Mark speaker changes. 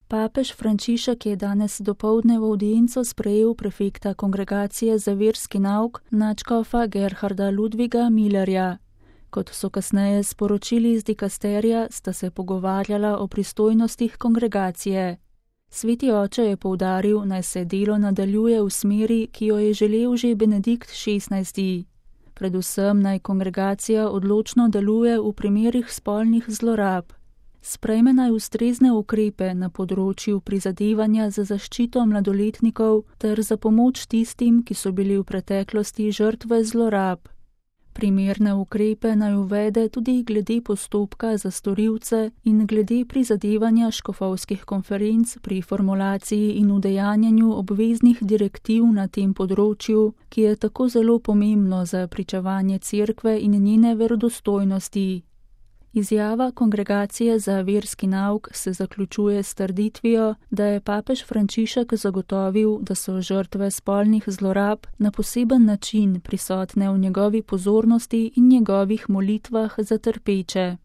Speaker 1: Papež Frančišek je danes dopoldne v avdienco sprejel prefekta Kongregacije za verski nauk nadškofa Gerharda Ludviga Millerja. Kot so kasneje sporočili iz dikasterija, sta se pogovarjala o pristojnostih kongregacije. Sveti oče je poudaril, naj se delo nadaljuje v smeri, ki jo je želel že Benedikt XVI. Predvsem naj kongregacija odločno deluje v primerih spolnih zlorab. Sprejme naj ustrezne ukrepe na področju prizadevanja za zaščito mladoletnikov ter za pomoč tistim, ki so bili v preteklosti žrtve zlorab. Primerne ukrepe naj uvede tudi glede postopka za storilce in glede prizadevanja škofovskih konferenc pri formulaciji in udejanjanju obveznih direktiv na tem področju, ki je tako zelo pomembno za pričevanje cerkve in njene verodostojnosti. Izjava Kongregacije za verski nauk se zaključuje s trditvijo, da je papež Frančišek zagotovil, da so žrtve spolnih zlorab na poseben način prisotne v njegovi pozornosti in njegovih molitvah za trpeče.